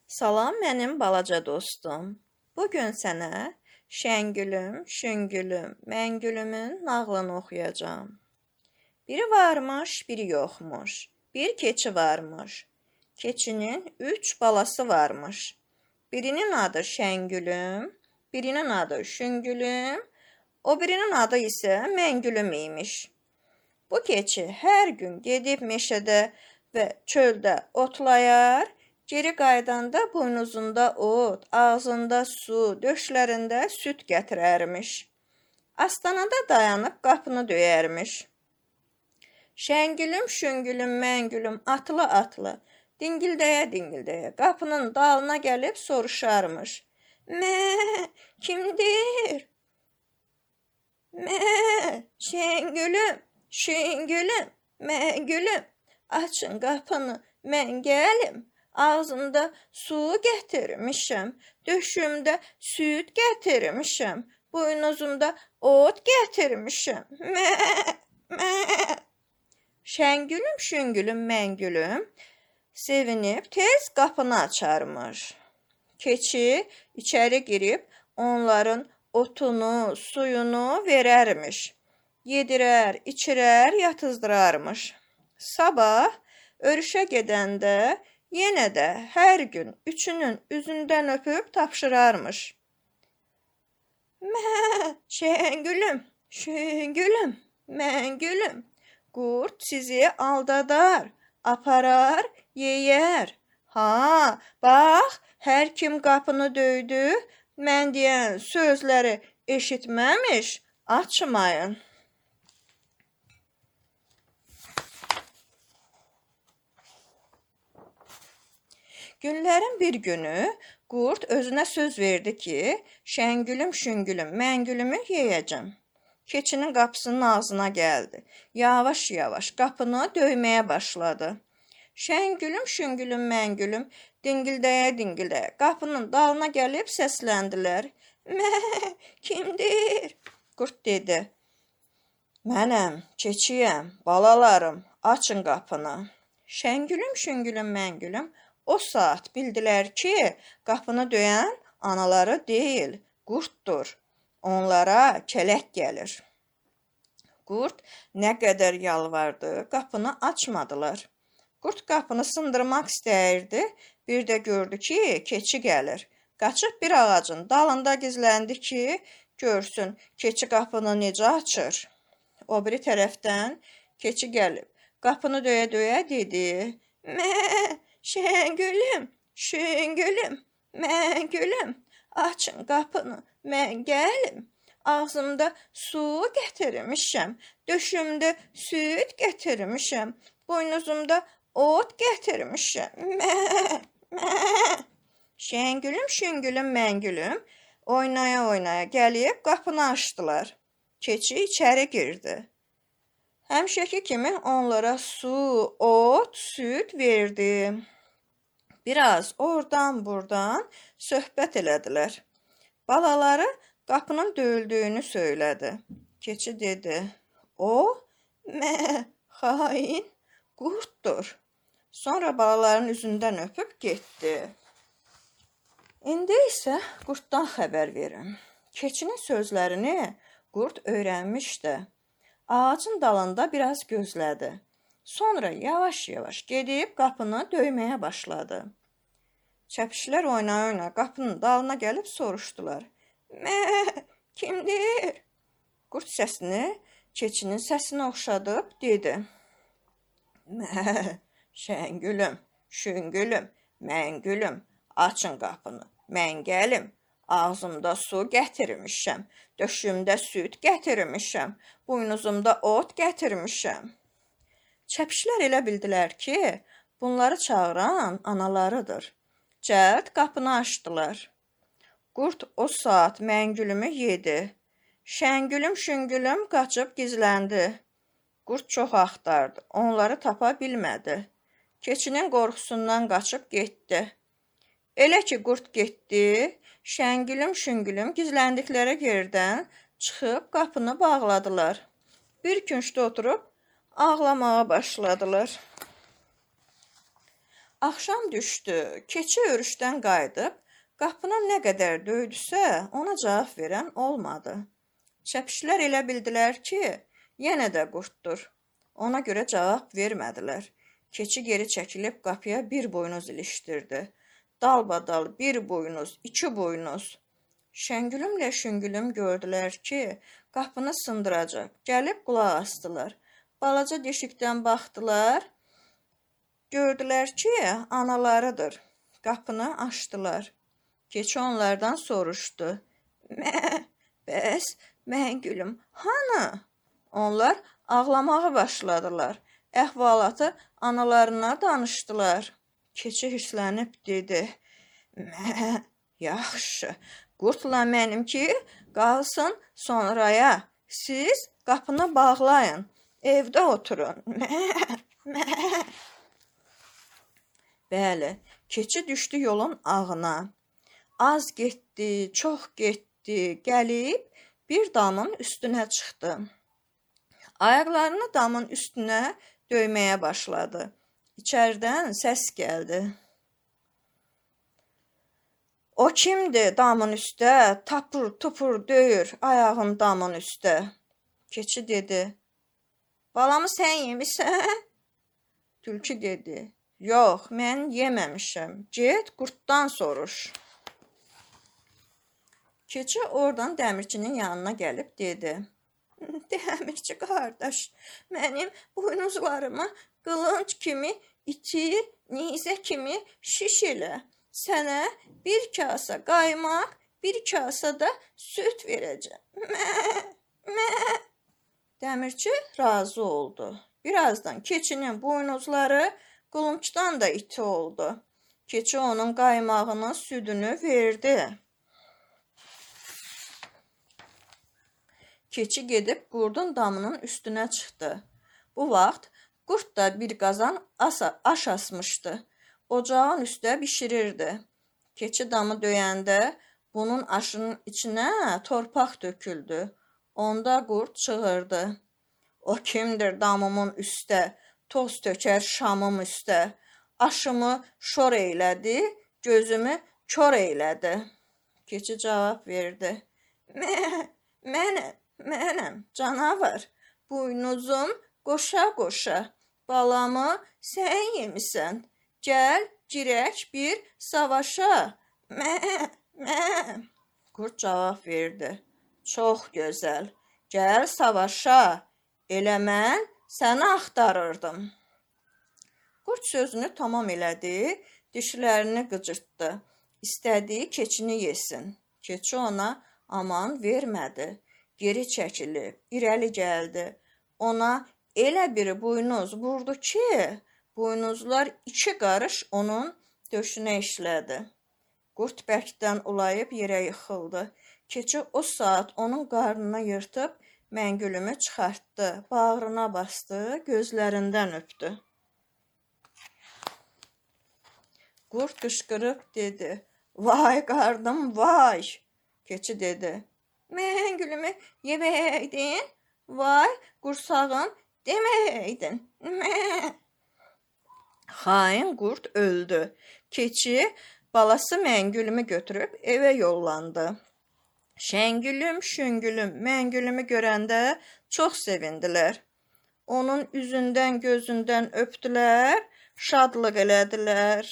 Salam mənim balaca dostum. Bugün sənə Şəngülüm, Şüngülüm, Məngülümün nağlını oxuyacağam. Biri varmış, biri yoxmuş. Bir keçi varmış. Keçinin 3 balası varmış. Birinin adı Şəngülüm, birinin adı Şüngülüm, o birinin adı isə Məngülüm imiş. Bu keçi hər gün gedib meşədə və çöldə otlayar, geri qaydanda buynuzunda ot, ağzında su, döşlərində süd gətirərmiş. Astanada dayanıb qapını döyərmiş. Şəngülüm, şüngülüm, məngülüm, atlı-atlı, dingildəyə-dingildəyə qapının dalına gəlib soruşarmış. Mə, kimdir? Mə, Şəngülüm, şüngülüm, məngülüm, açın qapını, mən gəlim. Ağzımda su gətirmişəm, döşümdə süd gətirmişəm, buynuzumda ot gətirmişəm. Mə, mə. Şəngülüm, şüngülüm, məngülüm sevinib tez qapını açarmış. Keçi içəri girib onların otunu, suyunu verərmiş. Yedirər, içirər, yatızdırarmış. Sabah örüşə gedəndə yenə də hər gün üçünün üzündən öpüb tapşırarmış. Mə, Şəngülüm, şüngülüm, məngülüm, qurd sizi aldadar, aparar, yeyər. Ha, bax, hər kim qapını döydü, mən deyən sözləri eşitməmiş, açmayın. Günlərin bir günü qurd özünə söz verdi ki, Şəngülüm, şüngülüm, məngülümü yeyəcəm. Keçinin qapısının ağzına gəldi. Yavaş-yavaş qapını döyməyə başladı. Şəngülüm, şüngülüm, məngülüm, dingildəyə-dingildəyə qapının dalına gəlib səsləndilər. Mə, kimdir? Qurd dedi. Mənəm, keçiyəm, balalarım, açın qapını. Şəngülüm, şüngülüm, məngülüm o saat bildilər ki, qapını döyən anaları deyil, qurddur. Onlara kələk gəlir. Qurd nə qədər yalvardı, qapını açmadılar. Qurd qapını sındırmaq istəyirdi, bir də gördü ki, keçi gəlir. Qaçıb bir ağacın dalında gizləndi ki, görsün, keçi qapını necə açır. O biri tərəfdən keçi gəlib, qapını döyə-döyə dedi. Mə, Şəngülüm, şüngülüm, məngülüm, açın qapını, mən gəlim. Ağzımda su gətirmişəm, döşümdə süd gətirmişəm, buynuzumda ot gətirmişəm. Mə, mə. Şəngülüm, şüngülüm, məngülüm oynaya-oynaya gəlib qapını açdılar. Keçi içəri girdi. Həmişəki kimi onlara su, ot, süd verdi. Biraz oradan-buradan söhbət elədilər. Balaları qapının döyüldüyünü söylədi. Keçi dedi, o, xain qurddur. Sonra balaların üzündən öpüb getdi. İndi isə qurddan xəbər verin. Keçinin sözlərini qurd öyrənmişdi. Ağacın dalında biraz gözlədi. Sonra yavaş-yavaş gedib qapını döyməyə başladı. Çəpişlər oynaya-oynaya qapının dalına gəlib soruşdular. Mə, kimdir? Qurd səsini keçinin səsinə oxşadıb dedi. Mə, Şəngülüm, şüngülüm, məngülüm, açın qapını, mən gəlim. Ağzımda su gətirmişəm, döşümdə süd gətirmişəm, buynuzumda ot gətirmişəm. Çəpişlər elə bildilər ki, bunları çağıran analarıdır. Cəld qapını açdılar. Qurd o saat məngülümü yedi. Şəngülüm, şüngülüm qaçıb gizləndi. Qurd çox axtardı, onları tapa bilmədi. Keçinin qorxusundan qaçıb getdi. Elə ki, qurd getdi, Şəngülüm, şüngülüm gizləndikləri yerdən çıxıb qapını bağladılar. Bir küncdə oturub ağlamağa başladılar. Axşam düşdü. Keçi örüşdən qayıdıb, qapını nə qədər döydüsə, ona cavab verən olmadı. Çəpişlər elə bildilər ki, yenə də qurtdur. Ona görə cavab vermədilər. Keçi geri çəkilib qapıya bir buynuz ilişdirdi. Dalbadal bir buynuz, iki buynuz. Şəngülümlə Şüngülüm gördülər ki, qapını sındıracaq. Gəlib qulaq asdılar. Balaca deşikdən baxdılar. Gördülər ki, analarıdır. Qapını açdılar. Keçi onlardan soruşdu. Bəs Məngülüm hanı? Onlar ağlamağa başladılar. Əhvalatı analarına danışdılar. Keçi hirslənib dedi. Yaxşı, qurtla mənimki qalsın sonraya. Siz qapını bağlayın, evdə oturun. Bəli, keçi düşdü yolun ağına. Az getdi, çox getdi, gəlib bir damın üstünə çıxdı. Ayaqlarını damın üstünə döyməyə başladı. İçəridən səs gəldi. O kimdir damın üstə, tapır, tupur, döyür ayağın damın üstə. Keçi dedi. Balamı sən yemişsən? Tülkü dedi. Yox, mən yeməmişəm. Get, qurtdan soruş. Keçi oradan dəmirçinin yanına gəlib dedi. Dəmirçi qardaş, mənim buynuzlarımı qılınc kimi iti, nizə kimi şiş elə. Sənə bir kasa qaymaq, bir kasa da süt verəcəm. Dəmirçi razı oldu. Birazdan keçinin buynuzları qılıncdan da iti oldu. Keçi onun qaymağının südünü verdi. Keçi gedib qurdun damının üstünə çıxdı. Bu vaxt qurd da bir qazan aş asmışdı. Ocağın üstə bişirirdi. Keçi damı döyəndə bunun aşının içinə torpaq töküldü. Onda qurd çığırdı. O kimdir damımın üstə, toz tökər şamım üstə. Aşımı şor eylədi, gözümü kör eylədi. Keçi cavab verdi. Mənəm, canavar. Buynuzum qoşa-qoşa. Balamı sən yemisən. Gəl, girək bir savaşa. Qurd cavab verdi. Çox gözəl. Gəl savaşa. Elə mən səni axtarırdım. Qurd sözünü tamam elədi, dişlərini qıcırtdı. İstədiyi keçini yesin. Keçi ona aman vermədi. Geri çəkilib, irəli gəldi. Ona elə bir buynuz vurdu ki, buynuzlar 2 qarış onun döşünə işlədi. Qurd bərkdən ulayıb yerə yıxıldı. Keçi o saat onun qarnına yırtıb Məngülümü çıxartdı, bağrına bastı, gözlərindən öpdü. Qurd qışqırıb dedi, vay qardım, vay. Keçi dedi, Məngülümü yeməydin, vay qursağım deməydin. Xain qurd öldü. Keçi balası Məngülümü götürüb evə yollandı. Şəngülüm, Şüngülüm, Məngülümü görəndə çox sevindilər. Onun üzündən, gözündən öpdülər, şadlıq elədilər.